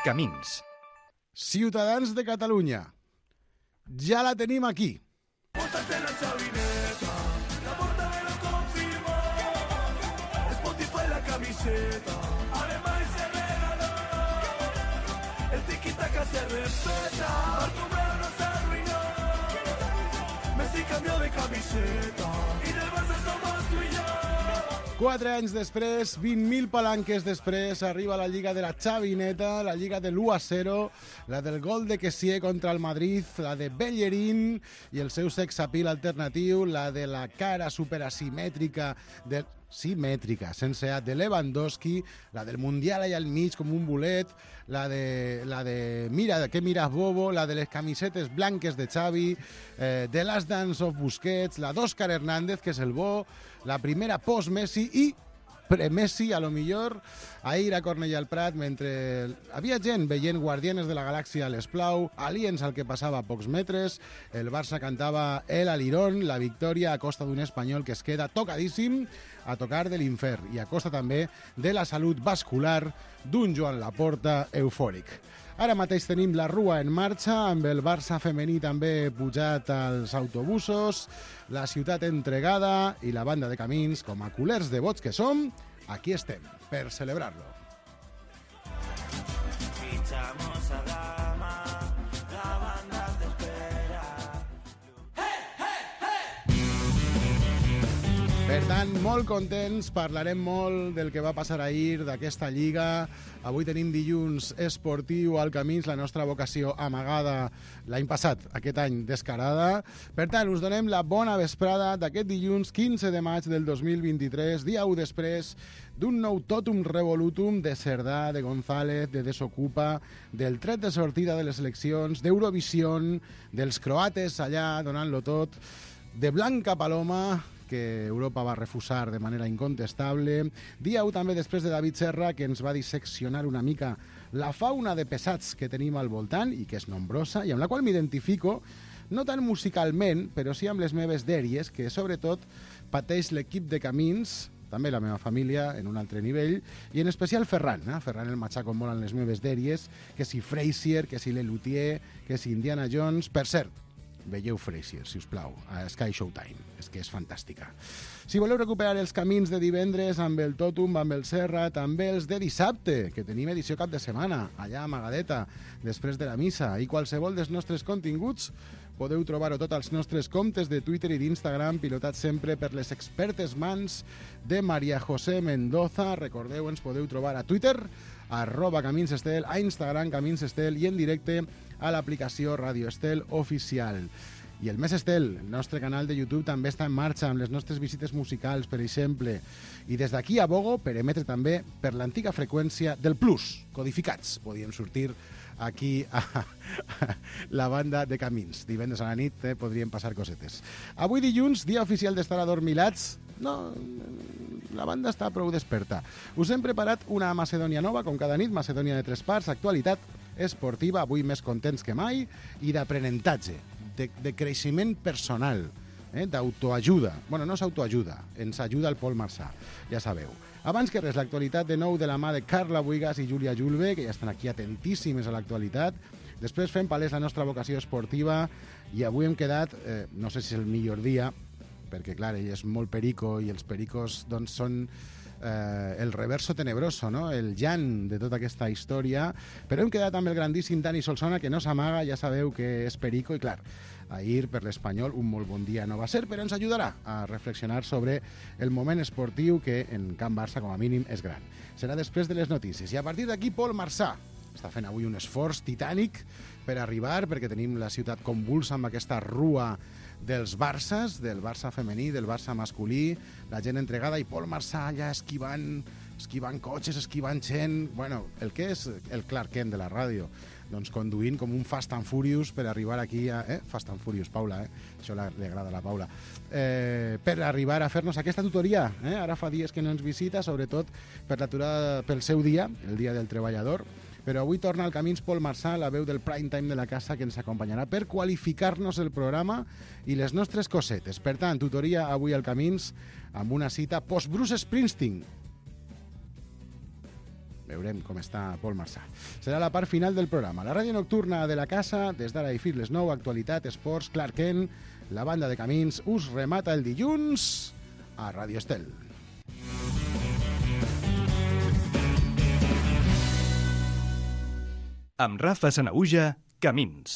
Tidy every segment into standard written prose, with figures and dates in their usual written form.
Camins. Ciutadans de Catalunya, ja la tenim aquí. Póntate la chavineta, la porta me lo confirmó. Spotify la camiseta, además se regaló. El tiki-taka se respeta, Bartomeu no se arruinó. Messi cambió de camiseta y del Barça somos tú y yo. 4 anys després, 20.000 palanques després, arriba la Lliga de la Chavineta, la Lliga de l'1-0, la del gol de Kessié contra el Madrid, la de Bellerín i el seu sex appeal alternatiu, la de la cara superasimètrica simètrica, sense A, de Lewandowski, la del Mundial allà al mig com un bolet, la de mira, què miras bobo, la de les camisetes blanques de Xavi, The Last Dance of Busquets, la d'Òscar Hernández, que és el bo, la primera post-Messi i pre-Messi, a lo millor, ahir a Cornellà al Prat, mentre havia gent veient Guardianes de la Galàxia a l'Esplau, aliens al que passava a pocs metres, el Barça cantava El Alirón, la victòria a costa d'un espanyol que es queda tocadíssim a tocar de l'infern i a costa també de la salut vascular d'un Joan Laporta eufòric. Ara mateix tenim la Rua en marxa, amb el Barça femení també pujat als autobusos, la ciutat entregada i la banda de Camins, com a culers devots que som, aquí estem, per celebrar-lo. Fichamos a Gama, la banda te espera. Per tant, molt contents, parlarem molt del que va passar ahir, d'aquesta Lliga. Avui tenim dilluns esportiu al Camins, la nostra vocació amagada l'any passat, aquest any descarada. Per tant, us donem la bona vesprada d'aquest dilluns 15 de maig del 2023, dia 1 després d'un nou totum revolutum de Cerdà, de González, de Desocupa, del tret de sortida de les eleccions, d'Eurovision, dels croates allà donant-lo tot, de Blanca Paloma, que Europa va refusar de manera incontestable. Dia 1 també després de David Serra, que ens va disseccionar una mica la fauna de pesats que tenim al voltant, i que és nombrosa, i amb la qual m'identifico, no tant musicalment, però sí amb les meves dèries, que sobretot pateix l'equip de Camins, també la meva família, en un altre nivell, i en especial Ferran. Ferran el matxaco molt en les meves dèries, que si Frasier, que si Lelutier, que si Indiana Jones. Per cert, veieu Frasier, si us plau, a Sky Showtime, és que és fantàstica. Si voleu recuperar els camins de divendres amb el Totum, amb el Serra, també els de dissabte, que tenim edició cap de setmana, allà a Magadeta, després de la missa, i qualsevol dels nostres continguts podeu trobar-ho tot als nostres comptes de Twitter i d'Instagram, pilotats sempre per les expertes mans de María José Mendoza. Recordeu, ens podeu trobar a Twitter, @CaminsEstel, a Instagram CaminsEstel i en directe a l'aplicació Radio Estel Oficial. I el Més Estel, el nostre canal de YouTube, també està en marxa amb les nostres visites musicals, per exemple. I des d'aquí abogo per emetre també per l'antiga freqüència del Plus, codificats. Podíem sortir aquí a la banda de Camins. Divendres a la nit podrien passar cosetes. Avui dilluns, dia oficial d'estar adormilats. No, la banda està prou desperta. Us hem preparat una Macedònia nova, com cada nit, Macedònia de 3 parts, actualitat esportiva, avui més contents que mai, i d'aprenentatge, de creixement personal, d'autoajuda. Bueno, no és autoajuda, ens ajuda el Pol Marçà, ja sabeu. Abans que res, l'actualitat de nou de la mà de Carla Buigas i Júlia Julve, que ja estan aquí atentíssimes a l'actualitat. Després fem palès la nostra vocació esportiva i avui hem quedat, no sé si és el millor dia, perquè, clar, ell és molt perico i els pericos doncs, són el reverso tenebroso, no? El llan de tota aquesta història, però hem quedat amb el grandíssim Dani Solsona, que no s'amaga, ja sabeu que és perico, i clar, ahir per l'Espanyol un molt bon dia no va ser, però ens ajudarà a reflexionar sobre el moment esportiu que en Can Barça com a mínim és gran. Serà després de les notícies. I a partir d'aquí Pol Marçà està fent avui un esforç titànic per arribar, perquè tenim la ciutat convulsa amb aquesta rua dels Barças, del Barça femení, del Barça masculí, la gent entregada, i Pol Marçà allà esquivant cotxes, esquivant gent. Bueno, el que és el Clark Kent de la ràdio, doncs conduint com un Fast and Furious per arribar aquí a... Fast and Furious, Paula, això li agrada a la Paula. Per arribar a fer-nos aquesta tutoria. Ara fa dies que no ens visita, sobretot per l'aturada pel seu dia, el dia del treballador, però avui torna al Camins Pol Marçà, la veu del prime time de la casa, que ens acompanyarà per qualificar-nos el programa i les nostres cosetes. Per tant, tutoria avui al Camins amb una cita post-Bruce Springsteen. Veurem com està Pol Marçà. Serà la part final del programa. La ràdio nocturna de la casa, des d'ara i fins les 9, actualitat, esports, Clark Kent, la banda de Camins, us remata el dilluns a Ràdio Estel. Amb Rafa Sanaüja, Camins.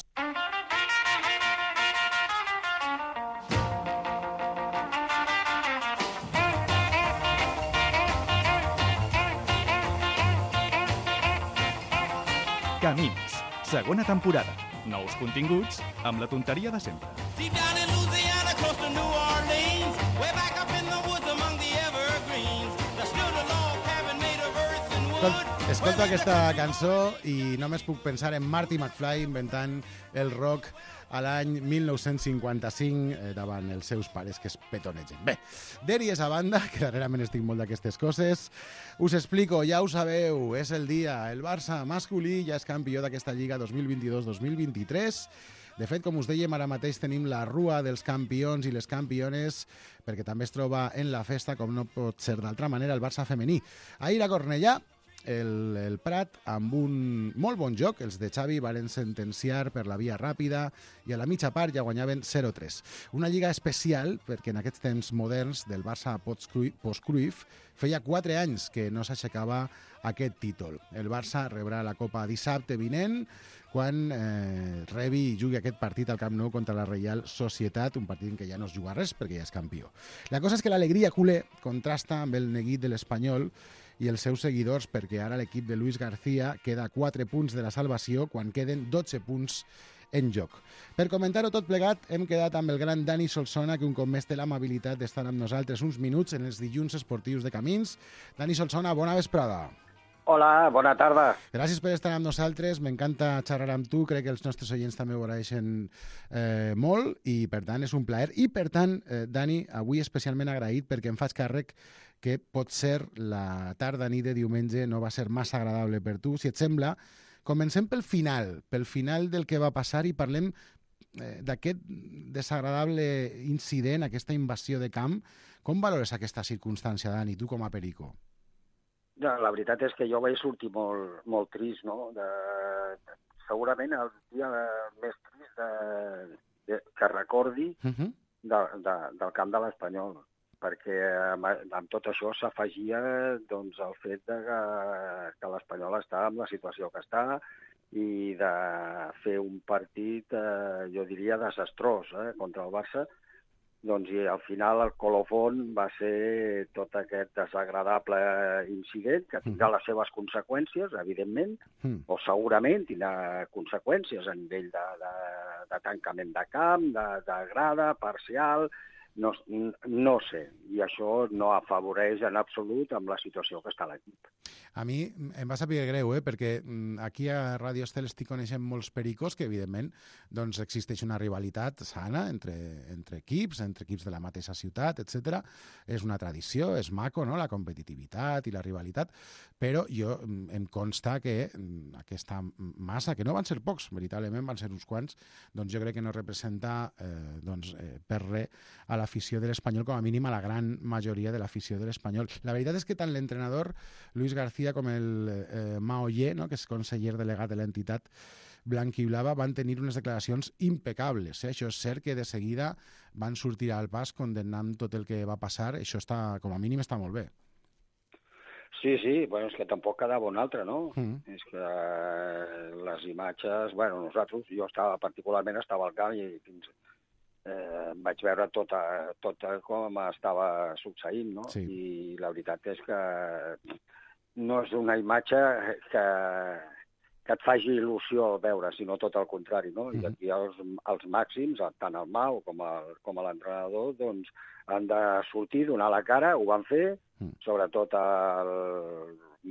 Camins, segona temporada. Nous continguts amb la tonteria de sempre. Deep down in Louisiana, close to New Orleans, way back up in the woods among the evergreens, there stood a log cabin made of earth and wood. Escolta aquesta cançó i només puc pensar en Marty McFly inventant el rock a l'any 1955 davant els seus pares que es petonegen. Bé, dèries a banda, que darrerament estic molt d'aquestes coses, us explico, ja ho sabeu, és el dia, el Barça masculí ja és campió d'aquesta Lliga 2022-2023. De fet, com us dèiem, ara mateix tenim la rua dels campions i les campiones, perquè també es troba en la festa, com no pot ser d'altra manera, el Barça femení. Ahir a Cornellà, el Prat, amb un molt bon joc, els de Xavi varen sentenciar per la via ràpida i a la mitja part ja guanyaven 0-3. Una lliga especial perquè en aquests temps moderns del Barça post-Cruyff feia 4 anys que no s'aixecava aquest títol. El Barça rebrà la Copa dissabte vinent quan rebi i jugui aquest partit al Camp Nou contra la Reial Societat, un partit en què ja no es juga res perquè ja és campió. La cosa és que l'alegria culer contrasta amb el neguit de l'Espanyol i els seus seguidors, perquè ara l'equip de Luis García queda a 4 punts de la salvació quan queden 12 punts en joc. Per comentar-ho tot plegat, hem quedat amb el gran Dani Solsona, que un cop més té l'amabilitat d'estar amb nosaltres uns minuts en els dilluns esportius de Camins. Dani Solsona, bona vesprada. Hola, bona tarda. Gràcies per estar amb nosaltres, m'encanta xerrar amb tu, crec que els nostres oients també ho agraeixen molt i per tant és un plaer. I per tant, Dani, avui especialment agraït perquè em faig càrrec que pot ser la tarda nit de diumenge no va ser massa agradable per tu. Si et sembla, comencem pel final del que va passar i parlem d'aquest desagradable incident, aquesta invasió de camp. Com valores aquesta circumstància, Dani, tu com a perico? La veritat és que jo vaig sortir molt trist, no? Segurament el dia més trist que recordi del camp de l'Espanyol, perquè amb tot això s'afegia doncs, el fet que l'Espanyol està en la situació que està i de fer un partit, jo diria, desastrós contra el Barça. Doncs, i al final el colofón va ser tot aquest desagradable incident que tindrà les seves conseqüències, evidentment, o segurament tindrà conseqüències a nivell de tancament de camp, de grada, parcial, no sé. I això no afavoreix en absolut amb la situació que està l'equip. A mi em va saber greu, perquè aquí a Ràdio Estel estic coneixent molts pericos que, evidentment, doncs existeix una rivalitat sana entre equips de la mateixa ciutat, etc. És una tradició, és maco, no?, la competitivitat i la rivalitat, però em consta que aquesta massa, que no van ser pocs, veritablement van ser uns quants, doncs jo crec que no representa per res a l'afició de l'Espanyol, com a mínim a la gran majoria de l'afició de l'Espanyol. La veritat és que tant l'entrenador Luis García com el Mao Ye, no?, que és conseller delegat de l'entitat blanquiblava, van tenir unes declaracions impecables. Això és cert que de seguida van sortir al pas condemnant tot el que va passar. Això està, com a mínim, està molt bé. Sí, bueno, és que tampoc quedava un altre, no? És que les imatges... Bueno, jo particularment estava al camp i vaig veure tot com estava succeint, no? Sí. I la veritat és que no és una imatge que et faci il·lusió veure, sinó tot el contrari, no? I aquí els màxims, tant el Mau com l'entrenador, doncs han de sortir, donar la cara, ho van fer, sobretot el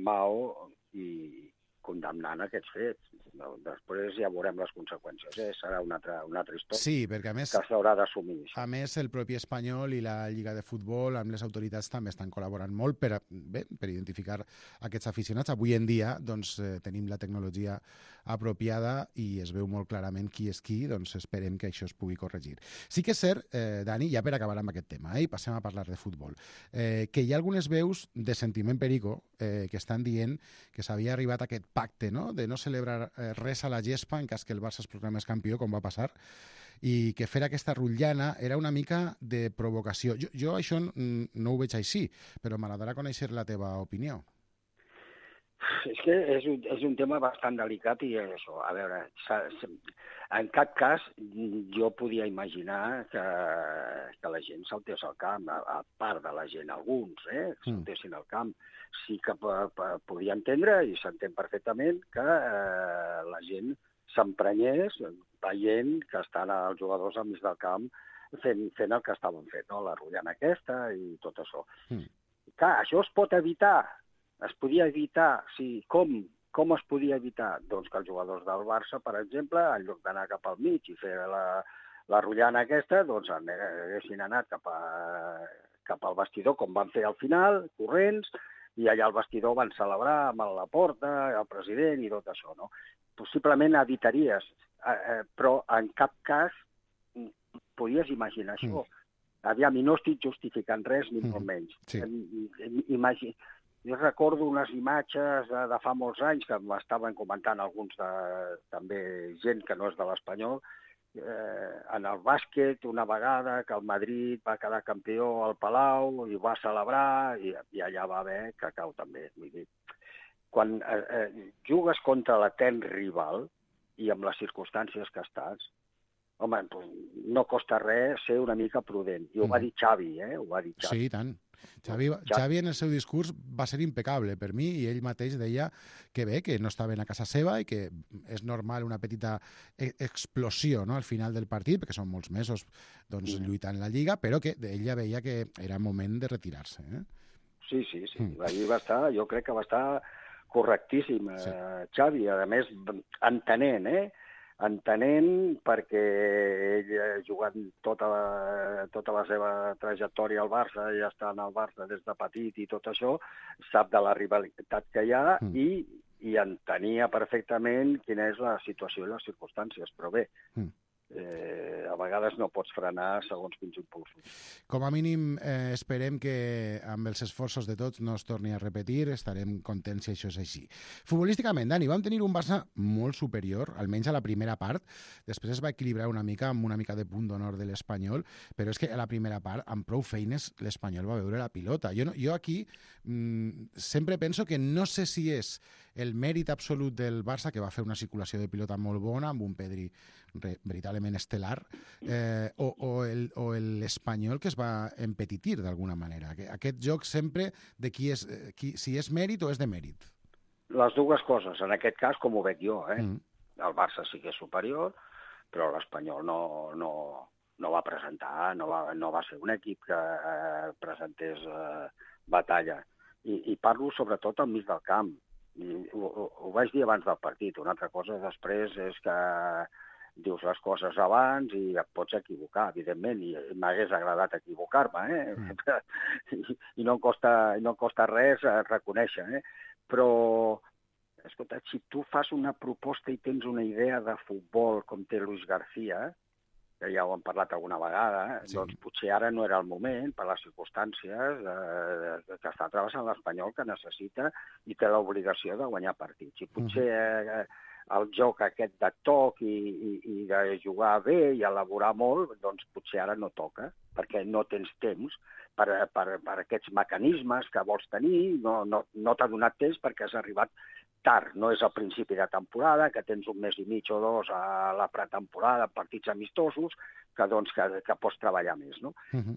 Mau, i condemnant aquests fets. No, després ja veurem les conseqüències. Serà una altra història Sí, perquè a més... que s'haurà d'assumir. A més, el propi Espanyol i la Lliga de Futbol amb les autoritats també estan col·laborant molt per identificar aquests aficionats. Avui en dia doncs, tenim la tecnologia apropiada i es veu molt clarament qui és qui, doncs esperem que això es pugui corregir. Sí que és cert, Dani, ja per acabar amb aquest tema, i passem a parlar de futbol, que hi ha algunes veus de sentiment perico que estan dient que s'havia arribat a aquest pacte, no?, de no celebrar res a la gespa en cas que el Barça es proclamés campió, com va passar, i que fer aquesta rotllana era una mica de provocació. Jo això no ho veig així, però m'agradarà conèixer la teva opinió. És que és un tema bastant delicat i això, a veure, en cap cas jo podia imaginar que la gent saltés al camp, a part de la gent, alguns, saltessin al camp. Sí que podia entendre, i s'entén perfectament, que la gent s'emprenyés veient que estan els jugadors al mig del camp fent el que estaven fent, no? La rotllana aquesta i tot això. Clar, això es pot evitar. Es podia evitar, sí. Com es podia evitar? Doncs que els jugadors del Barça, per exemple, en lloc d'anar cap al mig i fer la rotllana aquesta, doncs haguessin anat cap al vestidor, com van fer al final, corrents, i allà al vestidor van celebrar amb la porta, el president i tot això, no? Possiblement evitaries, però en cap cas podies imaginar això. Aviam, i no estic justificant res, ni molt menys. Sí. Jo recordo unes imatges de fa molts anys que m'estaven comentant alguns també gent que no és de l'Espanyol, en el bàsquet una vegada que el Madrid va quedar campió al Palau i va celebrar i allà va haver cacau també. Vull dir, quan jugues contra l'etern rival i amb les circumstàncies que estàs, home, no costa res ser una mica prudent. I ho va dir Xavi, ho va dir Xavi. Sí, i tant. Xavi en el seu discurs va ser impecable per mi i ell mateix deia que bé, que no estaven a casa seva i que és normal una petita explosió, no?, al final del partit, perquè són molts mesos doncs, lluitant la Lliga, però que ell ja veia que era moment de retirar-se. Sí. Allí va estar, jo crec que va estar correctíssim, Xavi, a més entenent perquè ell ha jugat tota la seva trajectòria al Barça, ja està en el Barça des de petit i tot això, sap de la rivalitat que hi ha i entenia perfectament quina és la situació i les circumstàncies, però bé, a vegades no pots frenar segons quins impulsos. Com a mínim esperem que amb els esforços de tots no es torni a repetir, estarem contents si això és així. Futbolísticament, Dani, vam tenir un Barça molt superior, almenys a la primera part, després es va equilibrar una mica amb una mica de punt d'honor de l'Espanyol, però és que a la primera part, amb prou feines, l'Espanyol va veure la pilota. Jo aquí sempre penso que no sé si és el mèrit absolut del Barça, que va fer una circulació de pilota molt bona, amb un Pedri veritablement estel·lar, o l'Espanyol que es va empetitir d'alguna manera. Aquest joc sempre de si és mèrit o és de mèrit. Les dues coses, en aquest cas, com ho veig jo. El Barça sí que és superior, però l'Espanyol no va presentar, no va ser un equip que presentés batalla. I parlo sobretot al mig del camp. Ho vaig dir abans del partit. Una altra cosa després és que dius les coses abans i et pots equivocar, evidentment, i m'hagués agradat equivocar-me, i no costa res reconèixer, però, escolta, si tu fas una proposta i tens una idea de futbol com té Luis García, que ja ho hem parlat alguna vegada, doncs potser ara no era el moment, per les circumstàncies que està travessant l'Espanyol, que necessita i té l'obligació de guanyar partits. I potser el joc aquest de toc i de jugar bé i elaborar molt, doncs potser ara no toca, perquè no tens temps per aquests mecanismes que vols tenir, no t'ha donat temps perquè has arribat tard, no és al principi de temporada, que tens un mes i mig o dos a la pretemporada, partits amistosos, que pots treballar més, no?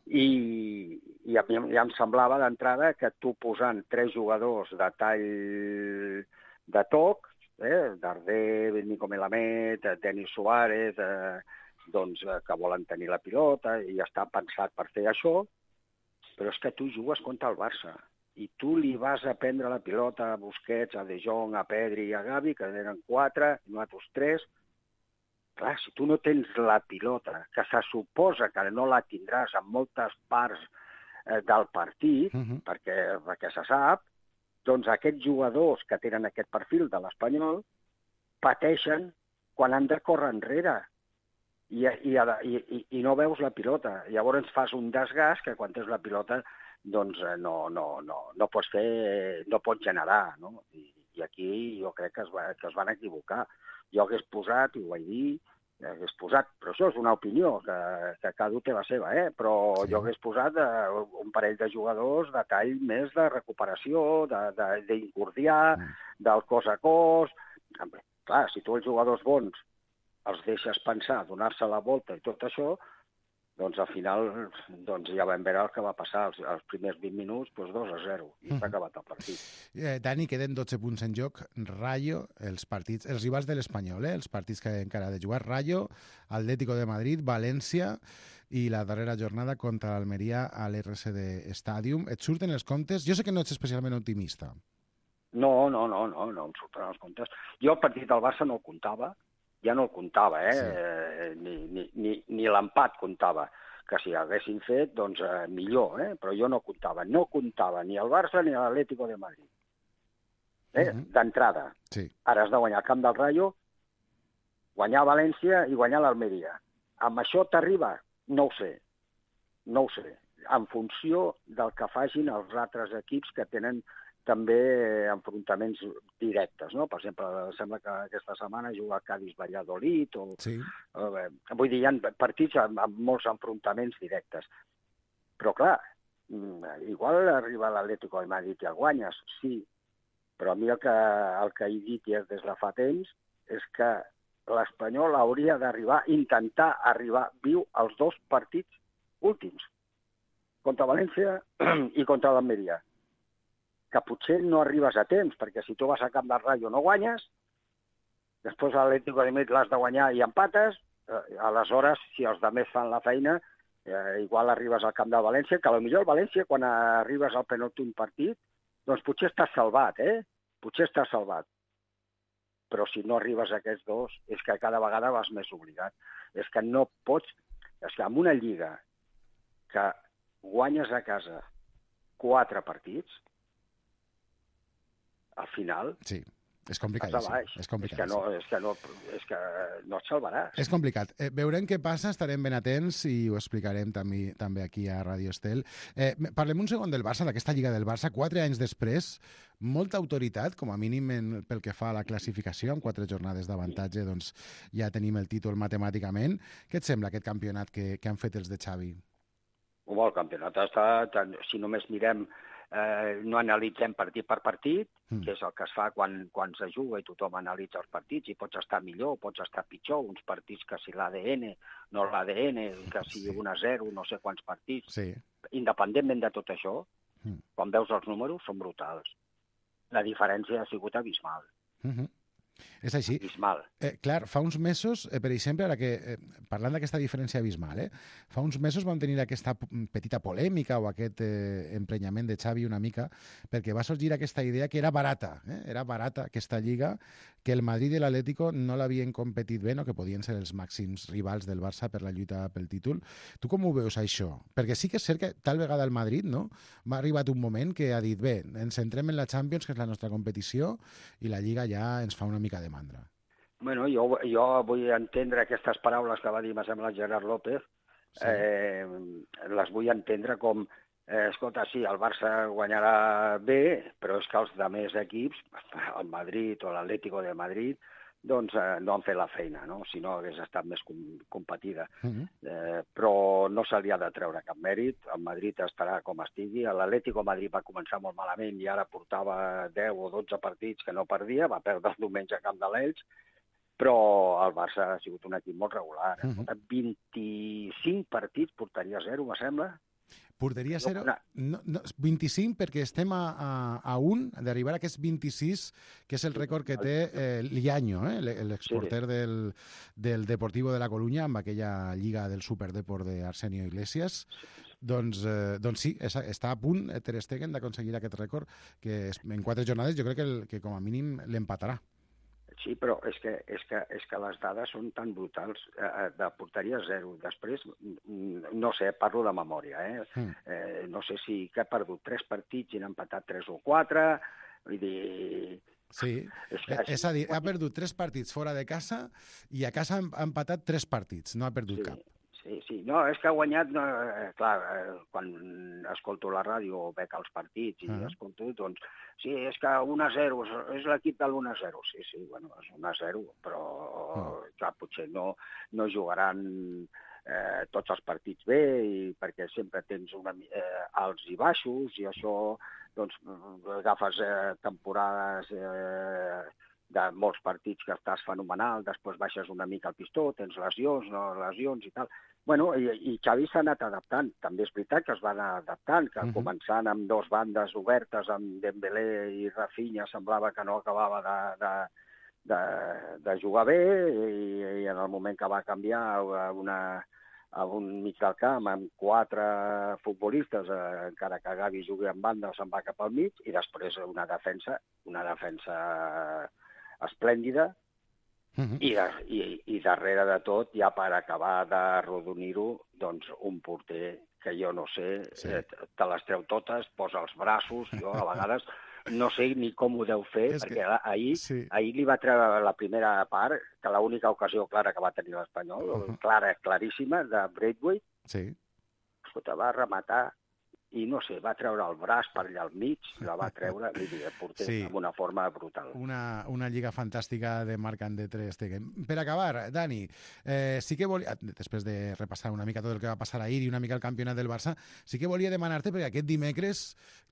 I a mi ja em semblava d'entrada que tu posant 3 jugadors de tall de toc, Darder, Nico Melamed, Denis Suárez, que volen tenir la pilota i està pensat per fer això, però és que tu jugues contra el Barça. i tu li vas a prendre la pilota a Busquets, a De Jong, a Pedri i a Gavi, que eren 4, i nosaltres 3, clar, si tu no tens la pilota, que se suposa que no la tindràs en moltes parts del partit, perquè se sap, doncs aquests jugadors que tenen aquest perfil de l'Espanyol pateixen quan han de córrer enrere i no veus la pilota. Llavors fas un desgast que quan tens la pilota doncs no pots fer, no pots generar, no? I aquí jo crec que es van equivocar. Jo hagués posat, i ho vaig dir, però això és una opinió, que cada un té la seva, però jo hagués posat un parell de jugadors de tall més de recuperació, d'incordiar, del cos a cos. Clar, si tu els jugadors bons els deixes pensar, donar-se la volta i tot això, doncs al final ja vam veure el que va passar els primers 20 minuts, 2-0, i s'ha acabat el partit. Dani, queden 12 punts en joc. Rayo, els rivals de l'Espanyol, els partits que encara ha de jugar, Rayo, Atlético de Madrid, València i la darrera jornada contra l'Almeria a l'RSD Stadium. Et surten els comptes? Jo sé que no ets especialment optimista. No em surten els comptes. Jo el partit del Barça no el comptava, ja no el comptava, ni l'empat comptava, que si haguessin fet, doncs millor, però jo no comptava. No comptava ni el Barça ni l'Atlético de Madrid. D'entrada. Sí. Ara has de guanyar el camp del Rayo, guanyar València i guanyar l'Almeria. Amb això t'arriba? No ho sé. En funció del que facin els altres equips que tenen també enfrontaments directes, no? Per exemple, sembla que aquesta setmana juga Cádiz-Valladolid, vull dir, hi ha partits amb molts enfrontaments directes. Però, clar, igual arriba l'Atlético de Madrid i el guanyes, sí, però a mi el que he dit ja des de fa temps és que l'Espanyol hauria intentar arribar viu als 2 partits últims, contra València i contra l'Almeria, que potser no arribes a temps, perquè si tu vas a camp del Rayo no guanyes, després a l'Atlético de Madrid l'has de guanyar i empates, aleshores, si els altres fan la feina, igual arribes al camp de València, que potser el València, quan arribes al penúltim partit, doncs potser estàs salvat, Potser estàs salvat. Però si no arribes a aquests 2, és que cada vegada vas més obligat. És que no pots... És que en una lliga que guanyes a casa 4 partits, al final... Sí, és complicadíssim. És que no et salvaràs. És complicat. Veurem què passa, estarem ben atents i ho explicarem també aquí a Radio Estel. Parlem un segon del Barça, d'aquesta Lliga del Barça. 4 anys després, molta autoritat, com a mínim pel que fa a la classificació, amb 4 jornades d'avantatge, doncs ja tenim el títol matemàticament. Què et sembla aquest campionat que han fet els de Xavi? El campionat està... Si només mirem... no analitzem partit per partit, que és el que es fa quan se juga i tothom analitza els partits, i pots estar millor, pots estar pitjor, uns partits que si l'ADN, no l'ADN, que si 1-0, no sé quants partits. Sí. Independentment de tot això, quan veus els números, són brutals. La diferència ha sigut abismal. És així. Abismal. Clar, fa uns mesos, per exemple, ara que parlant d'aquesta diferència abismal, fa uns mesos vam tenir aquesta petita polèmica o aquest emprenyament de Xavi una mica, perquè va sorgir aquesta idea que era barata aquesta lliga, que el Madrid i l'Atlético no l'havien competit bé, no? Que podien ser els màxims rivals del Barça per la lluita pel títol. Tu com ho veus, això? Perquè sí que és cert que tal vegada el Madrid, no?, m'ha arribat un moment que ha dit, bé, ens centrem en la Champions, que és la nostra competició, i la Lliga ja ens fa una mica de mandra. Bueno, jo vull entendre aquestes paraules que va dir, me sembla, Gerard López, les vull entendre com, escolta, sí, el Barça guanyarà bé, però és que els altres equips, el Madrid o l'Atlético de Madrid, doncs no han fet la feina, no? Si no hagués estat més competida. Però no se li ha de treure cap mèrit, el Madrid estarà com estigui, l'Atlético de Madrid va començar molt malament i ara portava 10 o 12 partits que no perdia, va perdre el diumenge a camp de l'Elx, però el Barça ha sigut un equip molt regular. 25 partits, portaria 0, me sembla. Porteria 0, 25 perquè estem a un d'arribar a aquests 26, que és el rècord que té Liaño, l'exporter del Deportivo de la Coruña, amb aquella lliga del Superdeport d'Arsenio Iglesias. Doncs sí, està a punt Ter Stegen d'aconseguir aquest rècord, que en 4 jornades jo crec que com a mínim l'empatarà. Sí, però és que les dades són tan brutals. De porteria 0. Després, no sé, parlo de memòria, no sé si que ha perdut 3 partits i n'ha empatat 3 o 4, vull dir... Sí, és a dir, ha perdut 3 partits fora de casa i a casa ha empatat 3 partits, no ha perdut cap. Sí. No, és que ha guanyat... clar, quan escolto la ràdio o veig els partits i escolto, doncs... Sí, és que 1-0, és l'equip de l'1-0. Sí, bueno, és 1-0, però clar, potser no jugaran tots els partits bé, perquè sempre tens alts i baixos, i això, doncs, agafes temporades... de molts partits que estàs fenomenal, després baixes una mica el pistó, tens lesions, no lesions i tal. Bueno, i Xavi s'ha anat adaptant. També és veritat que es va anar adaptant, que començant amb 2 bandes obertes, amb Dembélé i Rafinha, semblava que no acabava de jugar bé, i en el moment que va canviar a un mig del camp amb 4 futbolistes, encara que Gavi jugui en banda, se'n va cap al mig, i després una defensa esplèndida, i darrere de tot, ja per acabar d'arrodonir-ho, doncs un porter que jo no sé, te les treu totes, posa els braços, jo a vegades no sé ni com ho deu fer, perquè ahir li va treure la primera part, que l'única ocasió clara que va tenir l'Espanyol, claríssima, de Braithwaite, escolta, va rematar, i no sé, va treure el braç per allà al mig, la va treure, el porter, amb una forma brutal. Una lliga fantàstica de Marc-André Ter Stegen. Per acabar, Dani, sí que volia, després de repassar una mica tot el que va passar ahir i una mica el campionat del Barça, sí que volia demanar-te, perquè aquest dimecres,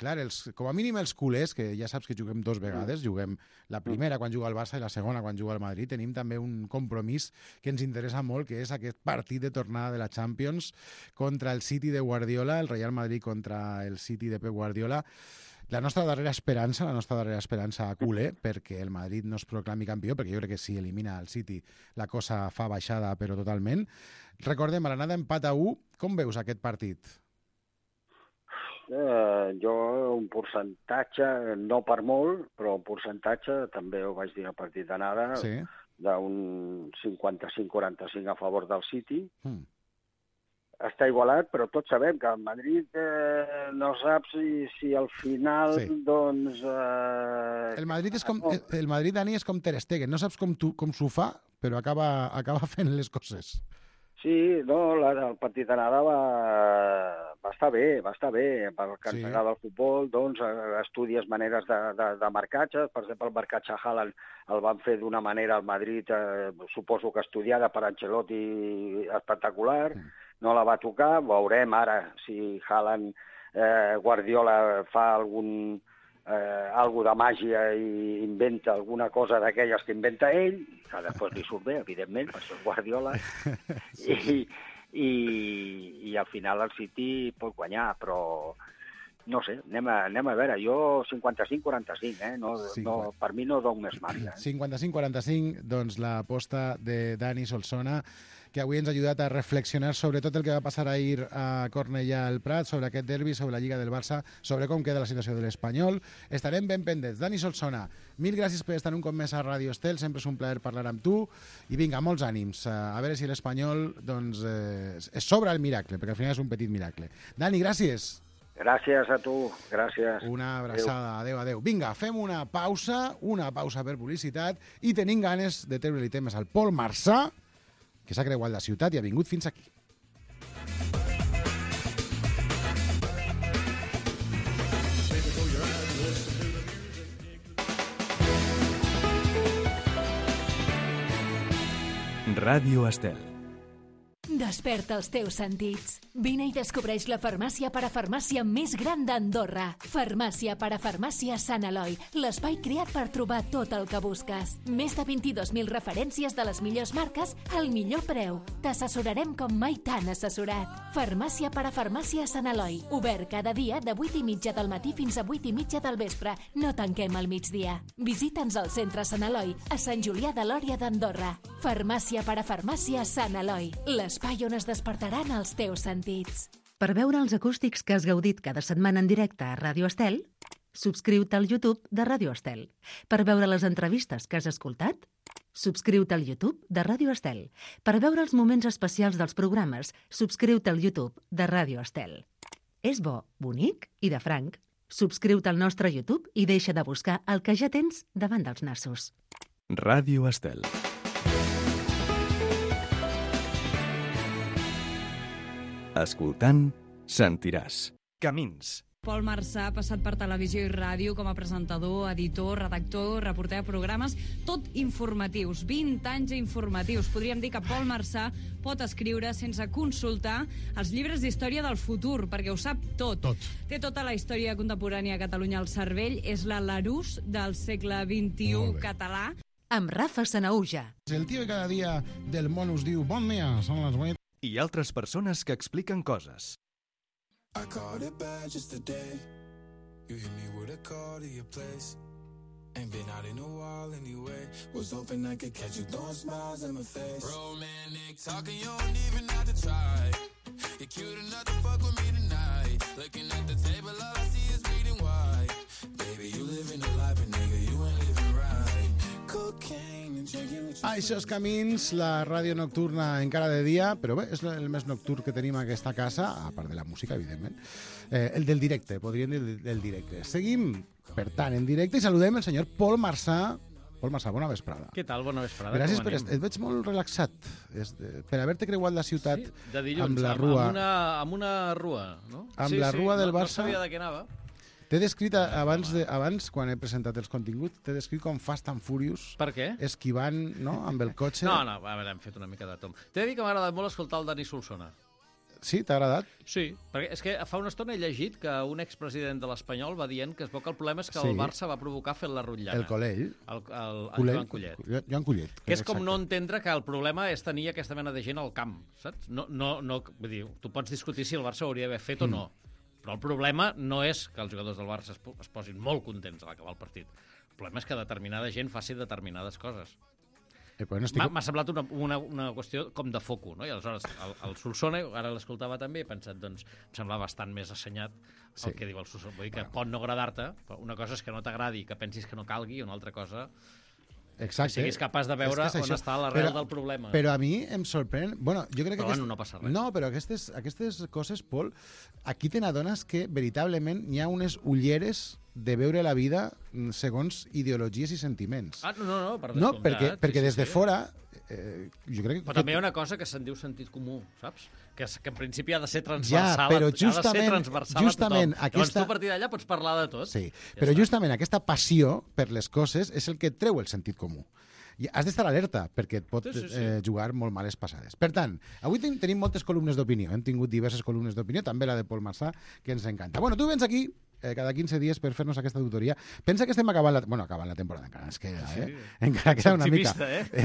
clar, com a mínim els culers, que ja saps que juguem 2 vegades, juguem la primera quan juga el Barça i la segona quan juga el Madrid, tenim també un compromís que ens interessa molt, que és aquest partit de tornada de la Champions contra el City de Guardiola, el Real Madrid contra el City de Pep Guardiola. La nostra darrera esperança culer, perquè el Madrid no es proclami campió, perquè jo crec que si elimina el City la cosa fa baixada, però totalment. Recordem, a l'anada empat a 1, com veus aquest partit? Jo un percentatge, no per molt, però un percentatge, també ho vaig dir al partit d'anada, d'un 55-45 a favor del City. Està igualat, però tots sabem que el Madrid no sap si al final, doncs... El Madrid, Dani, és com Ter Stegen. No saps com s'ho fa, però acaba fent les coses. Sí, no, el partit d'anada va estar bé. Pel que ens agrada el futbol, doncs, estudies maneres de marcatge. Per exemple, el marcatge a Haaland el van fer d'una manera al Madrid, suposo que estudiada per Ancelotti, espectacular. No la va tocar, veurem ara si Haaland, Guardiola fa algo de màgia i inventa alguna cosa d'aquelles que inventa ell, que després li surt bé, evidentment, per això és Guardiola, i al final el City pot guanyar, però no sé, anem a veure, jo 55-45, no, per mi no dono més marge. 55-45, doncs l'aposta de Dani Solsona, que avui ens ha ajudat a reflexionar sobre tot el que va passar ahir a Cornellà al Prat, sobre aquest derbi, sobre la Lliga del Barça, sobre com queda la situació de l'Espanyol. Estarem ben pendents. Dani Solsona, mil gràcies per estar un cop més a Radio Estel, sempre és un plaer parlar amb tu, i vinga, molts ànims. A veure si l'Espanyol doncs, es sobra el miracle, perquè al final és un petit miracle. Dani, gràcies. Gràcies a tu, gràcies. Una abraçada, adeu. Vinga, fem una pausa per publicitat, i tenim ganes de treure-li temes al Pol Marçà, que s'ha creuat la ciutat i ha vingut fins aquí. Ràdio Estel. Desperta els teus sentits. Vine i descobreix la farmàcia parafarmàcia més gran d'Andorra. Farmàcia parafarmàcia Sant Eloi, l'espai creat per trobar tot el que busques. Més de 22.000 referències de les millors marques al millor preu. T'assessorarem com mai t'han assessorat. Farmàcia parafarmàcia Sant Eloi, obert cada dia de 8:30 del matí fins a 8:30 del vespre. No tanquem al migdia. Visita'ns al centre Sant Eloi, a Sant Julià de Lòria d'Andorra. Farmàcia parafarmàcia Sant Eloi, l'espai on es despertaran els teus sentits. Per veure els acústics que has gaudit cada setmana en directe a Ràdio Estel, subscriu-te al YouTube de Ràdio Estel. Per veure les entrevistes que has escoltat, subscriu-te al YouTube de Ràdio Estel. Per veure els moments especials dels programes, subscriu-te al YouTube de Ràdio Estel. És bo, bonic i de franc. Subscriu-te al nostre YouTube i deixa de buscar el que ja tens davant dels nassos. Ràdio Estel. Escoltant, sentiràs. Camins. Pol Marçà ha passat per televisió i ràdio com a presentador, editor, redactor, reporter de programes, tot informatius, 20 anys informatius. Podríem dir que Pol Marçà pot escriure sense consultar els llibres d'història del futur, perquè ho sap tot. Té tota la història contemporània a Catalunya al cervell, és la Larousse del segle XXI català. Amb Rafa Sanahuja. El tio que cada dia del món us diu bon dia, són les 8. I altres persones que expliquen coses. I caught it bad just today. You hit me with a call to your place. Ain't been out in a while anyway. Was hoping I could catch you throwing smiles in my face. Romantic talking, you don't even have to try. You're cute enough to fuck with me tonight. Looking at the table, all I see is bleeding white. Baby, you living a life, but nigga, you ain't living right. Cocaine and drinking with your Això és Camins, la ràdio nocturna encara de dia, però bé, és el més nocturn que tenim a aquesta casa, a part de la música, evidentment. El del directe, podríem dir del directe. Seguim, per tant, en directe i saludem el senyor Pol Marçà. Pol Marçà, bona vesprada. Què tal? Bona vesprada. Gràcies et veig molt relaxat per haver-te creuat la ciutat de dilluns, amb la rua. Amb una rua, no? Amb la rua del Barça. No sabia de què anava. T'he descrit abans, quan he presentat els continguts, t'he descrit com Fast and Furious. Per què? Esquivant, no?, amb el cotxe. No, a veure, hem fet una mica de tom. T'he de dir que m'ha agradat molt escoltar el Dani Solsona. Sí, t'ha agradat? Sí, perquè és que fa una estona he llegit que un expresident de l'Espanyol va dient que es veu que el problema és que el Barça va provocar fent la rotllana. El Collell. El Joan Collet. Joan Collet. Que és com no entendre que el problema és tenir aquesta mena de gent al camp, saps? No, vull dir, tu pots discutir si el Barça ho hauria d'haver fet o no, però el problema no és que els jugadors del Barça es posin molt contents a l'acabar el partit. El problema és que determinada gent faci determinades coses. M'ha semblat una qüestió com de foco, no? I aleshores el Solsona, ara l'escoltava també, he pensat, doncs, em sembla bastant més assenyat el que diu el Solsona. Vull dir que pot no agradar-te, però una cosa és que no t'agradi, que pensis que no calgui, i una altra cosa... Exacte. Que siguis capaç de veure on està l'arrel del problema. Però a mi em sorprèn... Bueno, jo crec que no passa res. No, però aquestes coses, Pol, aquí te n'adones que veritablement hi ha unes ulleres de veure la vida segons ideologies i sentiments. No, per descomptat. No, perquè des de fora... jo crec però també hi ha una cosa que se'n diu sentit comú, saps? Que en principi ha de ser transversal, però justament a tothom. Aquesta... Llavors tu a partir d'allà pots parlar de tot. Sí, però justament aquesta passió per les coses és el que et treu el sentit comú. I has d'estar alerta, perquè et pot jugar molt males passades. Per tant, avui tenim moltes columnes d'opinió. Hem tingut diverses columnes d'opinió, també la de Pol Marçà, que ens encanta. Bueno, tu vens aquí cada 15 dies per fer-nos aquesta tutoria. Pensa que estem acabant la temporada, encara ens queda, encara queda una mica.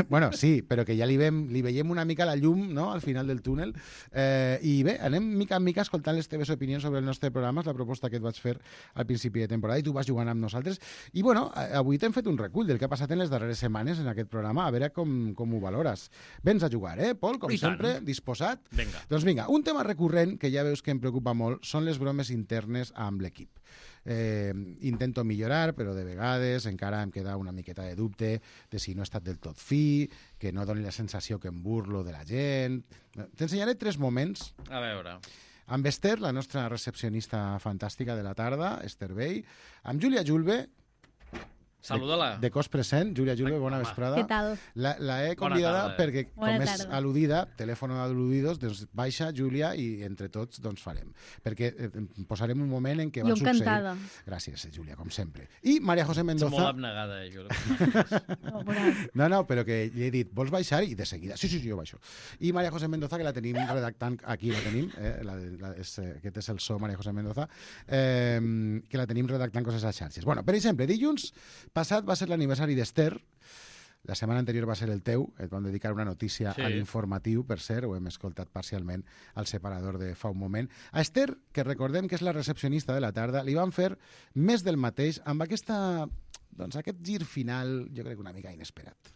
Bueno, sí, però que ja li veiem una mica la llum, no?, al final del túnel. I bé, anem mica en mica escoltant les teves opinions sobre el nostre programa, és la proposta que et vaig fer al principi de temporada, i tu vas jugant amb nosaltres. I bueno, avui t'hem fet un recull del que ha passat en les darreres setmanes en aquest programa, a veure com ho valores. Vens a jugar, Pol? Com sempre, disposat? Vinga. Doncs vinga, un tema recurrent que ja veus que em preocupa molt són les bromes internes amb l'equip. Intento millorar, però de vegades encara em queda una miqueta de dubte de si no he estat del tot fi, que no doni la sensació que em burlo de la gent. T'ensenyaré 3 moments. A veure. Amb Esther, la nostra recepcionista fantàstica de la tarda, Esther Bey, amb Júlia Julve, saluda-la. De cos present, Júlia Julve, bona vesprada. Què tal? La he convidada perquè, com és al·ludida, telèfon al·ludidos, doncs baixa, Júlia, i entre tots doncs farem. Perquè posarem un moment en què va succeir... Jo encantada. Gràcies, Júlia, com sempre. I Maria José Mendoza... Ets molt abnegada, Júlia. No, però que li he dit, vols baixar? I de seguida, sí, jo baixo. I Maria José Mendoza, que la tenim redactant, aquí la tenim, aquest és el so, Maria José Mendoza, que la tenim redactant coses a xarxes. Bueno, per exemple, dilluns passat va ser l'aniversari d'Esther. La setmana anterior va ser el teu. Et vam dedicar una notícia a l'informatiu, per cert, ho hem escoltat parcialment al separador de fa un moment. A Esther, que recordem que és la recepcionista de la tarda, li van fer més del mateix amb aquest gir final, jo crec una mica inesperat.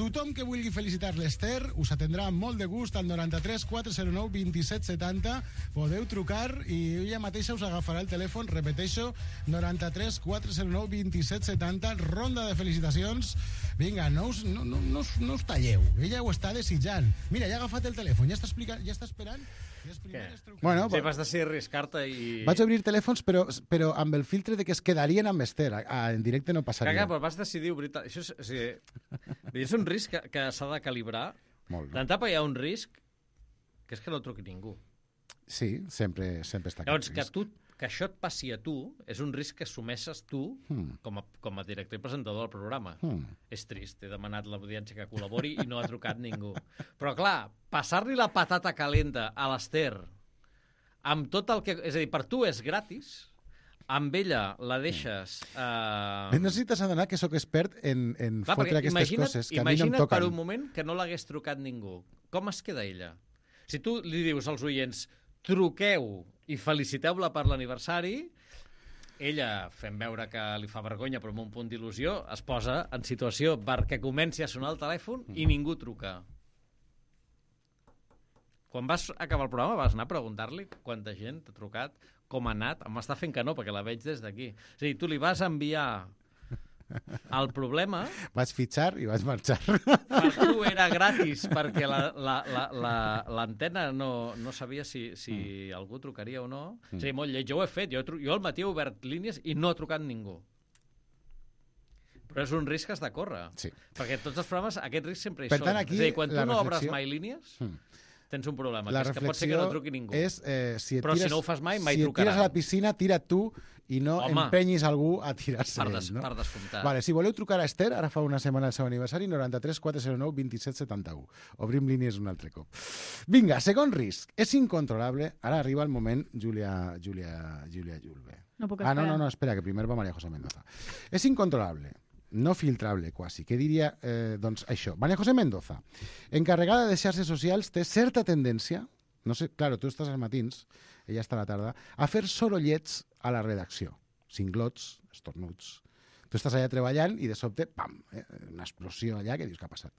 Tothom que vulgui felicitar l'Ester us atendrà amb molt de gust al 93 409 27 70. Podeu trucar i ella mateixa us agafarà el telèfon. Repeteixo, 93 409 27 70. Ronda de felicitacions. Vinga, no us talleu. Ella ho està desitjant. Mira, ja ha agafat el telèfon, ja està esperant. Bueno, sí, vas decidir arriscar-te i... Vaig obrir telèfons, però amb el filtre de que es quedarien amb Esther. En directe no passaria. Caga, però vas decidir obrir... Això és un risc que s'ha de calibrar. D'entapa hi ha un risc que és que no truqui ningú. Sí, sempre està. Llavors, que això et passi a tu és un risc que assumeixes tu com a director i presentador del programa. És trist, he demanat a l'audiència que col·labori i no ha trucat ningú. Però clar, passar-li la patata calenta a l'Ester amb tot el que... És a dir, per tu és gratis, amb ella la deixes... No sé si t'has adonat que sóc expert en fotre aquestes coses que a mi no em toquen. Imagina't per un moment que no l'hagués trucat ningú. Com es queda ella? Si tu li dius als oients truqueu i feliciteu-la per l'aniversari, ella, fent veure que li fa vergonya però amb un punt d'il·lusió, es posa en situació perquè comenci a sonar el telèfon i ningú truca. Quan vas acabar el programa vas anar a preguntar-li quanta gent t'ha trucat, com ha anat, em està fent que no, perquè la veig des d'aquí. És a dir, tu li vas enviar el problema... Vaig fitxar i vaig marxar. Per tu era gratis, perquè l'antena no sabia si algú trucaria o no. És a dir, molt lleig, jo ho he fet. Jo al matí he obert línies i no ha trucat ningú. Però és un risc que has de córrer. Sí. Perquè tots els programes, aquest risc sempre hi són. És a dir, quan tu no obres mai línies... tens un problema, que és que pot ser que no truqui ningú. Però si no ho fas mai trucaran. Si et tires a la piscina, tira't tu i no empenyis algú a tirar-se ell. Per descomptar. Vale, si voleu trucar a Esther, ara fa una setmana el seu aniversari, 93 409 27 71. Obrim línies un altre cop. Vinga, segon risc. És incontrolable. Ara arriba el moment, Júlia Julve. No puc esperar. No, espera, que primer va María José Mendoza. És incontrolable. No filtrable, quasi. Què diria, doncs, això? María José Mendoza, encarregada de xarxes socials, té certa tendència, no sé, claro, tu estàs als matins, ella està a la tarda, a fer sorollets a la redacció. Cinglots, estornuts. Tu estàs allà treballant i de sobte, pam, una explosió allà que dius què ha passat.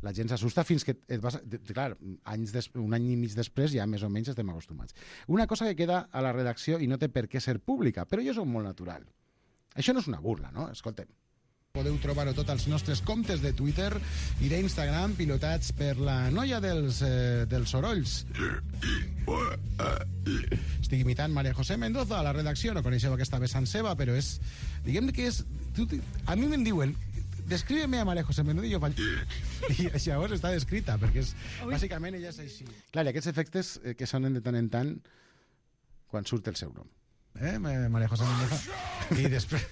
La gent s'assusta fins que et vas... Clar, un any i mig després ja més o menys estem acostumats. Una cosa que queda a la redacció i no té per què ser pública, però jo soc molt natural. Això no és una burla, no? Escolta'm. Podeu trobar-ho tot als nostres comptes de Twitter i d'Instagram pilotats per la noia dels sorolls. Estic imitant María José Mendoza a la redacció, no coneixeu aquesta vessant seva, però és... Diguem que és... A mi me'n diuen, describe-me a María José Mendoza i jo faig... I llavors està descrita, perquè és... Bàsicament ella és així. Clar, i aquests efectes que sonen de tant en tant quan surt el seu nom. María José Mendoza i després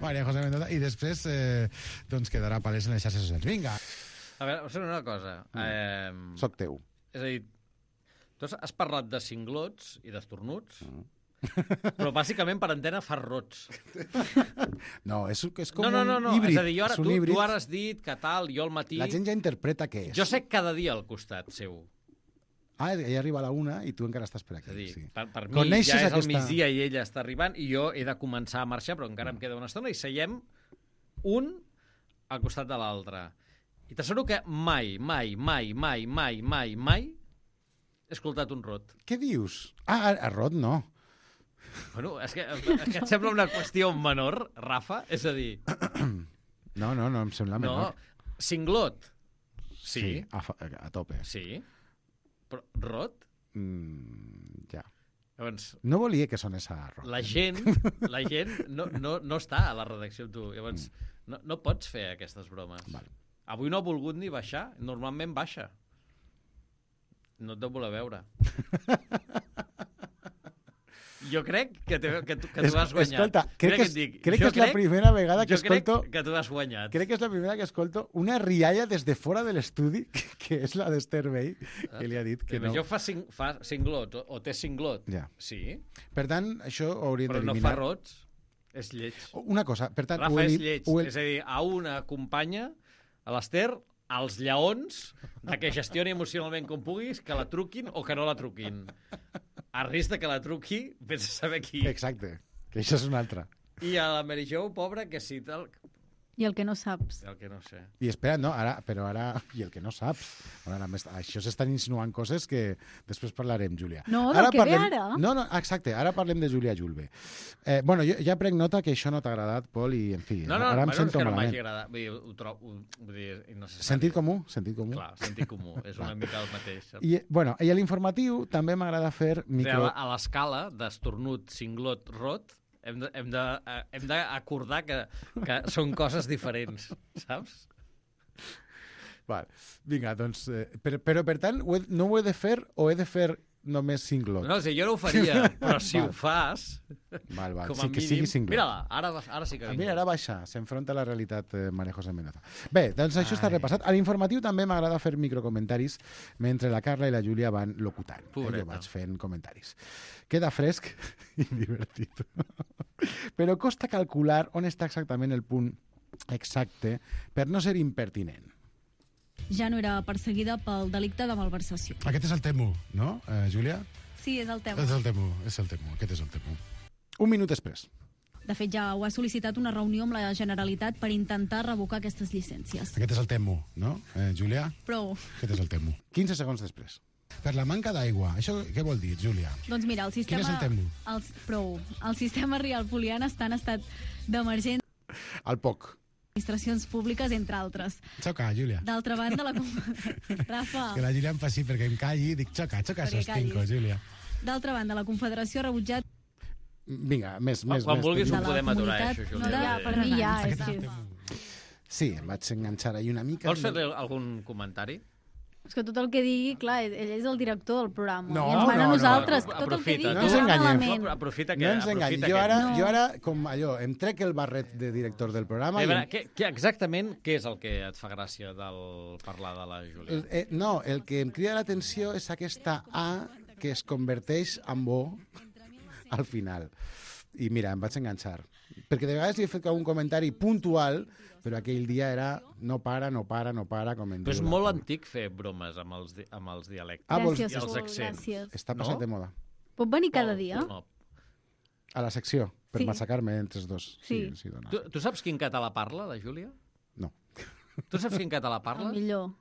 María José Mendoza i després doncs quedarà palès en les xarxes socials. Vinga. A veure, us una cosa. Soc teu. És a dir, tu has parlat de cinglots i d'estornuts, però bàsicament per antena fas rots. No, és com un híbrid. És a dir, tu ara has dit que tal, jo al matí... La gent ja interpreta què és. Jo sé cada dia al costat seu. Ella arriba a la 1 i tu encara estàs per aquí. És a dir, sí. per mi ja és al migdia i ella està arribant i jo he de començar a marxar, però encara em queda una estona i seiem un al costat de l'altre. I t'asseguro que mai he escoltat un rot. Què dius? A rot no. Bueno, és que et sembla una qüestió menor, Rafa? És a dir... No, em sembla menor. No, cinglot. Sí. A tope. Sí. Però rot? Ja. Llavors, no volia que sonés a rot. La gent no està a la redacció amb tu. Llavors, no pots fer aquestes bromes. Vale. Avui no ha volgut ni baixar. Normalment baixa. No et deu voler veure. Jo crec que tu has guanyat. Escolta, crec que és la primera vegada que escolto... Jo crec que tu has guanyat. Crec que és la primera que escolto una rialla des de fora de l'estudi, que és la d'Esther Bey, que li ha dit que no. Jo fa cinglot, o té cinglot. Ja. Sí. Per tant, això ho hauríem d'eliminar. Però no fa rots. És lleig. Una cosa, per tant... Rafa, és lleig. És a dir, a una companya, a l'Esther, als lleons, que gestioni emocionalment com puguis, que la truquin o que no la truquin. A risc de que la truqui, vés a saber qui. Exacte, que això és una altra. I a la Mary Jo, pobra, que si tal... I el que no saps. El que no sé. I espera, no, ara... I el que no saps. Ara, això s'estan insinuant coses que després parlarem, Júlia. No, del que ve ara. No, exacte, ara parlem de Júlia Julve. Bueno, jo ja prenc nota que això no t'ha agradat, Pol, i en fi, ara em sento és que no malament. m'hagi agradat. Vull dir, innecessari. Sentit comú? Sentit comú. Clar, sentit comú. És una mica el mateix. I a l'informatiu també m'agrada fer micro... A l'escala d'estornut, cinglot, rot, hem d'acordar que són coses diferents, saps? Val. Vinga, doncs... Però, per tant, no ho he de fer o he de fer només cinglot? No, jo no ho faria, però si ho fas... Val, com a sí, que mínim... sigui cinglot. Mira-la, ara sí que vinc. Mira, ara baixa, s'enfronta a la realitat María José Mendoza. Bé, doncs això està repassat. A l'informatiu també m'agrada fer microcomentaris mentre la Carla i la Júlia van locutant. Jo vaig fent comentaris. Queda fresc i divertit. Però costa calcular on està exactament el punt exacte per no ser impertinent. Ja no era perseguida pel delicte de malversació. Aquest és el temo, no, Júlia? Sí, és el tema. És el temo, aquest és el temo. Un minut després. De fet, ja ho ha sol·licitat una reunió amb la Generalitat per intentar revocar aquestes llicències. Aquest és el temo, no, Júlia? Prou. Aquest és el temo. 15 segons després. Per la manca d'aigua. Això què vol dir, Júlia? Doncs mira, el sistema... Quin és el temo? Prou. El sistema Rial Poliana està en estat d'emergència. Al poc. Administracions públiques, entre altres. Xoca, Júlia. D'altra banda, Rafa... Que la Júlia em faci perquè em calli i dic xoca, sostinco, Júlia. D'altra banda, la Confederació ha rebutjat... Vinga, més. Quan vulguis ho podem aturar, això, Júlia. Per mi ja, és que... Sí, em vaig enganxar ahir una mica. Vols fer algun comentari? És que tot el que digui, clar, ell és el director del programa. No, I ens mana a nosaltres. no. Tot el que digui No ens enganyem. Aprofita no ens enganyem. Jo ara, com allò, em trec el barret de director del programa... Exactament què és el que et fa gràcia del parlar de la Júlia? No, el que em crida l'atenció és aquesta A que es converteix en O al final. I mira, em vaig enganxar. Perquè de vegades li he fet un comentari puntual, però aquell dia era no para, com en Però és molt antic fer bromes amb els dialectes Gràcies, i els accents. gràcies. Està passat de moda. Pot venir cada dia? No. A la secció, per Sí. massacrar-me entre els dos. Sí. Dona. Tu saps quin català parla, la Júlia? No. Tu saps quin català El parla? millor.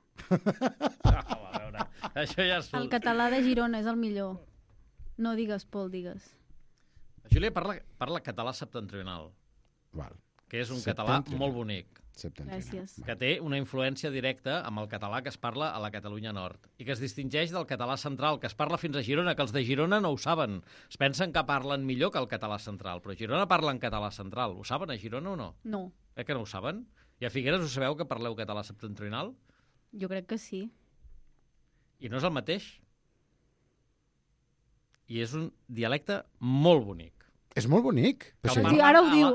A veure, això ja és... El català de Girona és el millor. No digues, Pol, digues. La Júlia parla català septentrional, Val. que és un català molt bonic, Gràcies. que té una influència directa amb el català que es parla a la Catalunya Nord i que es distingeix del català central, que es parla fins a Girona, que els de Girona no ho saben. Es pensen que parlen millor que el català central, però a Girona parlen català central. Ho saben a Girona o no? No, Que no ho saben? I a Figueres ho sabeu que parleu català septentrional? jo crec que sí. I no és el mateix. I és un dialecte molt bonic. És molt bonic. Que Sí, ara ho diu,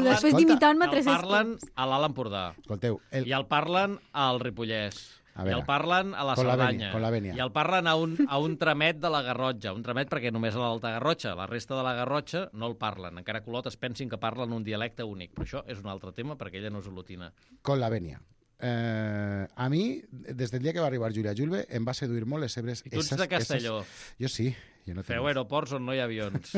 després d'imitar-me 3 El parlen a l'Alt Empordà. Escolteu, I el parlen al Ripollès. A I veure, el parlen a la con la Cerdanya. vènia, con la vènia. I el parlen a un tramet de la Garrotxa. Un tramet perquè només a l'Alta Garrotxa. La resta de la Garrotxa no el parlen. Encara que Olot es pensin que parlen un dialecte únic. Però això és un altre tema perquè ella no és olotina. Con la vènia. A mi, des del dia que va arribar Júlia Julve, em va seduir molt les seves... I tu ets de Castelló. Jo sí. Jo no Feu aeroports on no hi ha avions.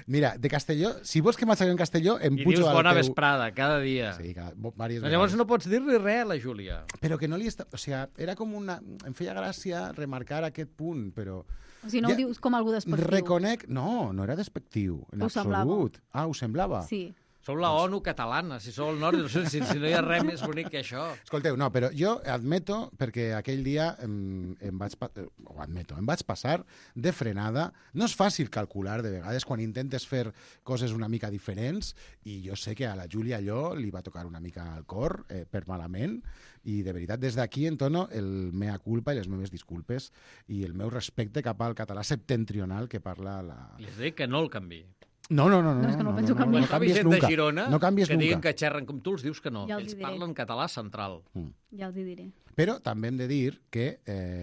Mira, de Castelló, si vols que m'aixequi en Castelló, em I pujo dius al bona teu... vesprada, cada dia. Sí, diverses Llavors vegades. no pots dir-li res a la Júlia. Però que no li està... O sigui, era com una... Em feia gràcia remarcar aquest punt, però... O sigui, no ho dius com algú despectiu. Reconec... No no era despectiu, en Ho semblava. absolut. Ah, ho semblava? Sí. Sou la ONU catalana, si sou el nord, si no hi ha res més bonic que això. Escolteu, no, però jo admeto, perquè aquell dia em vaig passar de frenada. No és fàcil calcular, de vegades, quan intentes fer coses una mica diferents, i jo sé que a la Júlia allò li va tocar una mica al cor, per malament, i de veritat, des d'aquí entono el mea culpa i les meves disculpes i el meu respecte cap al català septentrional que parla la... Li has dit que no el canvi. No, és que no penso canviar. No canvies gent nunca. de Girona No canvies que diguin nunca. que xerren com tu, els dius que no. Ja els Ells hi diré. parlen català central, Ja els hi diré. Però també hem de dir que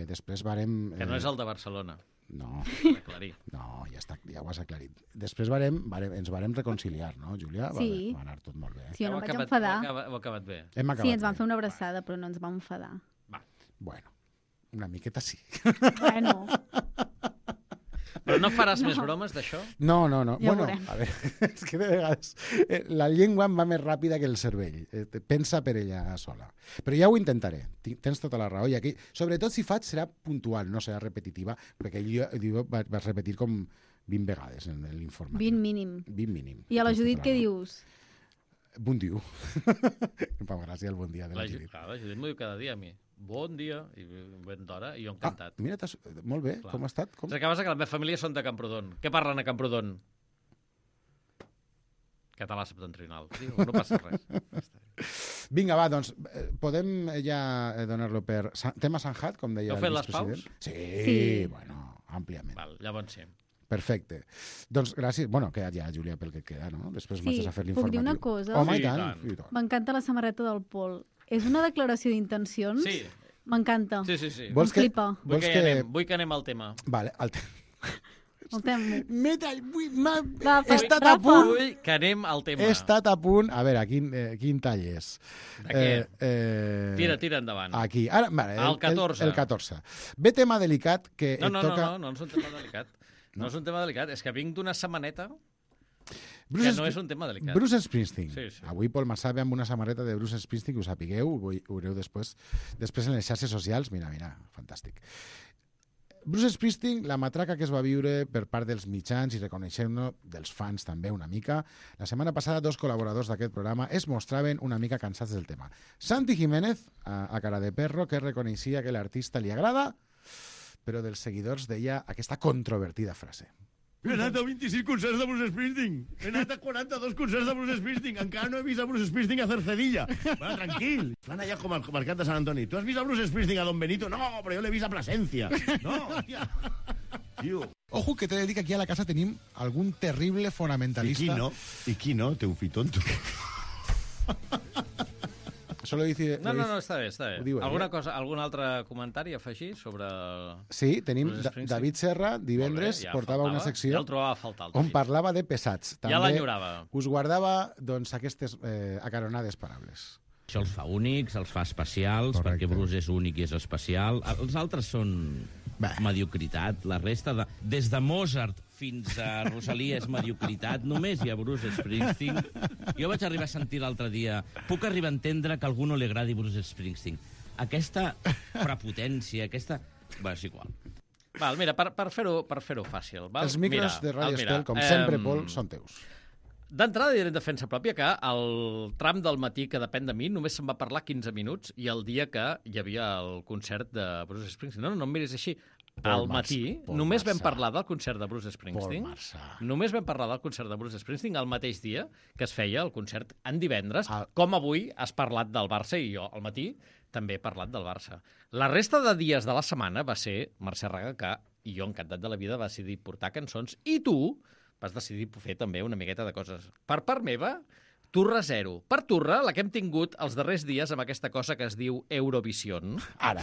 després varem... que no és el de Barcelona. No, Aclarir. no, ja ho has aclarit. Després ens varem reconciliar, no, Júlia? Sí. Va anar tot molt bé. Sí, jo no Heu vaig acabat- enfadar. Heu acabat bé. Hem Sí, acabat ens van bé. fer una abraçada, però no ens vam enfadar. Bueno, una miqueta sí. Bueno, Però no faràs més bromes d'això? No. Ja Bueno, veurem. a veure, és que de vegades la llengua em va més ràpida que el cervell. Pensa per ella sola. Però ja ho intentaré. Tens tota la raó. I aquí, sobretot si faig, serà puntual, no serà repetitiva, perquè jo vaig repetir com 20 vegades en l'informatiu. 20 mínim. 20 mínim. I a la Tens Judit tota què la raó. dius? Bon dia. Em fa gràcia el bon dia de la Judit. Clar, la Judit m'ho diu cada dia a mi. Bon dia, i ben d'hora, i jo encantat. Mira, molt bé, Clar. com ha estat? És que passa que la meva família són de Camprodon. Què parlen a Camprodon? Català septentrional. Diu, no passa res. Vinga, va, doncs, podem ja donar-lo per... Tema Sanjat, com deia Heu el fet les vicepresident? paus? Sí, bueno, àmpliament. Val, llavors sí. Perfecte. Doncs gràcies. Bueno, queda ja, Júlia, pel que queda, no? Després Sí, m'has de fer puc l'informatiu. dir una cosa? Home, Sí, i tant. i tant. I tant. M'encanta la samarreta del Pol. És una declaració d'intencions? Sí. M'encanta. Sí. Vols Em flipa. Vull que anem al tema. Vale, El temo. he estat a punt. Vull que anem al tema. He estat a punt. A veure, quin tall és? De què? Tira endavant. Aquí. Ara, vale, El 14. El 14. Ve tema delicat que No toca... és un tema delicat. No és un tema delicat, és que vinc d'una setmaneta Bruce que no és un tema delicat. Bruce Springsteen. Sí. Avui Pol Massà ve amb una samarreta de Bruce Springsteen, que ho sapigueu, ho veureu després en les xarxes socials. Mira, fantàstic. Bruce Springsteen, la matraca que es va viure per part dels mitjans i reconeixem-no dels fans també una mica. La setmana passada 2 col·laboradors d'aquest programa es mostraven una mica cansats del tema. Santi Jiménez, a cara de perro, que reconeixia que l'artista li agrada, però dels seguidors deia aquesta controvertida frase. He anat a 26 concerts de Bruce Springsteen. He anat a 42 concerts de Bruce Springsteen. Encara no he vist a Bruce Springsteen a Cercedilla. Bueno, tranquil. Van allà com al mercat de Sant Antoni. Tu has vist a Bruce Springsteen a Don Benito? No, però jo l'he vist a Plasencia. No, hòstia. Tio. Ojo, que t'he de dir que aquí a la casa tenim algun terrible fonamentalista. I qui no? Té un fi tonto. Solo dice... No, està bé. Ho diu ell, Algun altre comentari a afegir sobre... Sí, tenim Bruce Springsteen? David Serra, divendres, ja portava faltava. una secció Ja el trobava a faltar, el on David. parlava de pesats. Ja l'enyorava. Us guardava doncs, aquestes acaronades paraules. Això els fa únics, els fa especials, perquè Bruce és únic i és especial. Els altres són mediocritat. La resta, des de Mozart fins a Rosalia és mediocritat. Només hi ha Bruce Springsteen. Jo vaig arribar a sentir l'altre dia... Puc arribar a entendre que a algú no li agradi Bruce Springsteen. Aquesta prepotència, aquesta... Bé, és igual. Val, mira, per fer-ho fàcil. Val? Els micros de Radio Estel, com sempre, Pol, són teus. D'entrada diré en defensa pròpia que el tram del matí que depèn de mi només se'n va parlar 15 minuts i el dia que hi havia el concert de Bruce Springsteen. No em miris així. Al matí només vam parlar del concert de Bruce Springsteen. Només vam parlar del concert de Bruce Springsteen el mateix dia que es feia el concert en divendres, com avui has parlat del Barça i jo al matí també he parlat del Barça. La resta de dies de la setmana va ser Mercè Raga, i jo encantat de la vida va decidir portar cançons, i tu vas decidir fer també una miqueta de coses. Per part meva, turra zero. Per turra, la que hem tingut els darrers dies amb aquesta cosa que es diu Eurovision. Ara,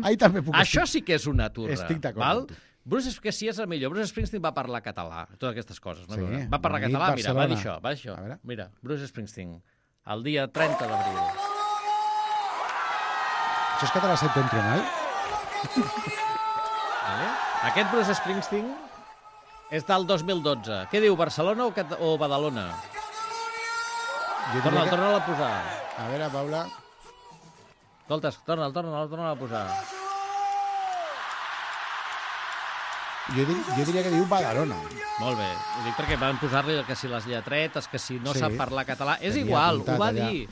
ahí també puc... Això sí que és una turra. Estic d'acord amb tu. Bruce, que sí és el millor. Bruce Springsteen va parlar català, totes aquestes coses. No? Sí, va parlar català, mira, va dir això. A Mira, Bruce Springsteen, el dia 30 d'abril. Això és català septentrional? Aquest Bruce Springsteen és del 2012. Què diu, Barcelona o Badalona? Torna'l a posar. A veure, Paula... Escolta, torna'l a posar. Jo diria que diu Badalona. Molt bé. Ho dic perquè van posar-li que si les lletretes, que si no sap parlar català... És Tenia igual, ho va allà. dir.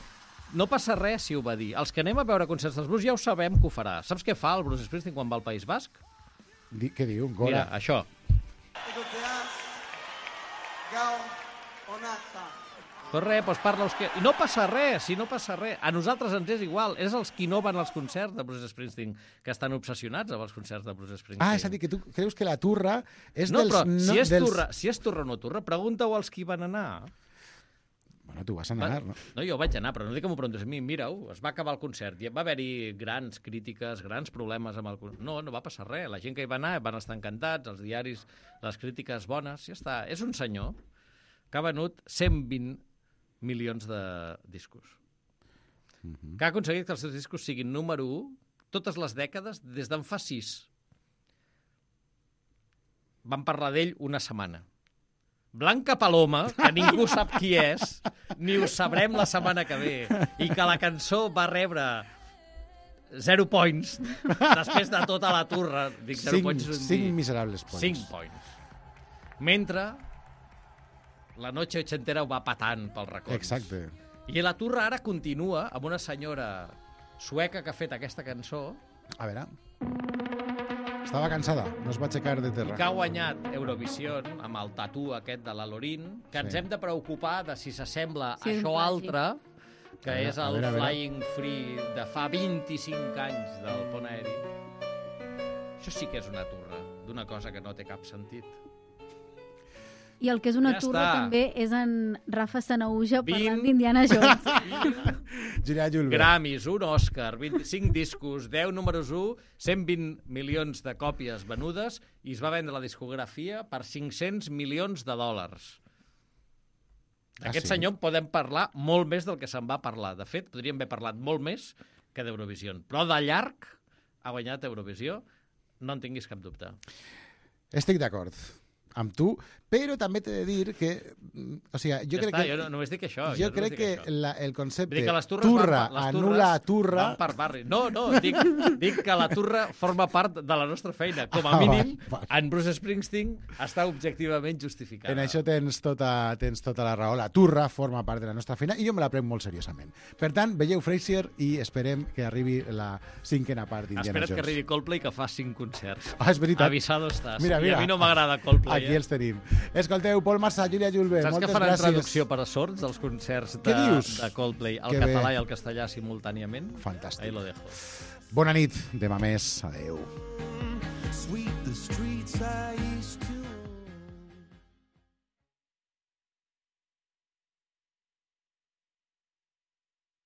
No passa res si ho va dir. Els que anem a veure concerts dels Bruce ja ho sabem que ho farà. Saps què fa el Bruce Springsteen quan va al País Basc? Què diu? Gora. Mira, això. Pues res, doncs parla euskera. I no passa res, si no passa res. A nosaltres ens és igual. És els qui no van als concerts de Bruce Springsteen que estan obsessionats amb els concerts de Bruce Springsteen. Ah, és a dir, que tu creus que la turra és no, dels... Però si és turra o no turra, pregunta-ho als qui van anar. Bueno, tu vas anar, no? No, jo vaig anar, però no dic que m'ho preguntes a mi. Mira-ho, es va acabar el concert. Va haver-hi grans crítiques, grans problemes amb el concert. No va passar res. La gent que hi va anar van estar encantats, els diaris, les crítiques bones, ja està. És un senyor que ha venut 120 milions de discos. Que ha aconseguit que els seus discos siguin número 1 totes les dècades des d'en fa 6. vam parlar d'ell una setmana. Blanca Paloma, que ningú sap qui és, ni ho sabrem la setmana que ve, i que la cançó va rebre 0 points després de tota la turra. Dic 0 points. 5 miserables points. 5 points. Mentre la noche ochentera ho va patant pels racons. Exacte. I la turra ara continua amb una senyora sueca que ha fet aquesta cançó. A veure... Estava cansada, no es va aixecar de terra. I que ha guanyat Eurovision amb el tatú aquest de la Lorin, que ens hem de preocupar de si s'assembla a això altre, que és el Flying Free de fa 25 anys del pont aeri. Això sí que és una turra, d'una cosa que no té cap sentit. I el que és una turra també és en Rafa Sanauja parlant d'Indiana Jones. Julià Julve. Grammys, un Òscar, 25 discos, 10 números 1, 120 milions de còpies venudes i es va vendre la discografia per 500 milions de dòlars. D'aquest senyor en podem parlar molt més del que se'n va parlar. De fet, podríem haver parlat molt més que d'Eurovisió. Però de llarg ha guanyat Eurovisió, no en tinguis cap dubte. Estic d'acord amb tu, però també t'he de dir que... O sigui, jo crec que... Jo només dic això. Jo crec que el concepte turra anul·la turra... Van per barri. No, dic que la turra forma part de la nostra feina. Com a mínim, en Bruce Springsteen està objectivament justificada. En això tens tota la raó. La turra forma part de la nostra feina i jo me la prenc molt seriosament. Per tant, veieu Frasier i esperem que arribi la 5a part d'Indiana Jones. Espera't que arribi Coldplay, que fa 5 concerts. Ah, és veritat. Avisado estàs. Mira, I a mi no m'agrada Coldplay. Aquí els tenim. Escolteu, Pol Marsà, Júlia Julve, saps moltes gràcies. Saps que faran traducció per a sords dels concerts de Coldplay al català i al castellà simultàniament? Fantàstic. Ahí lo dejo. Bona nit, demà més. Adéu. Sweep the streets I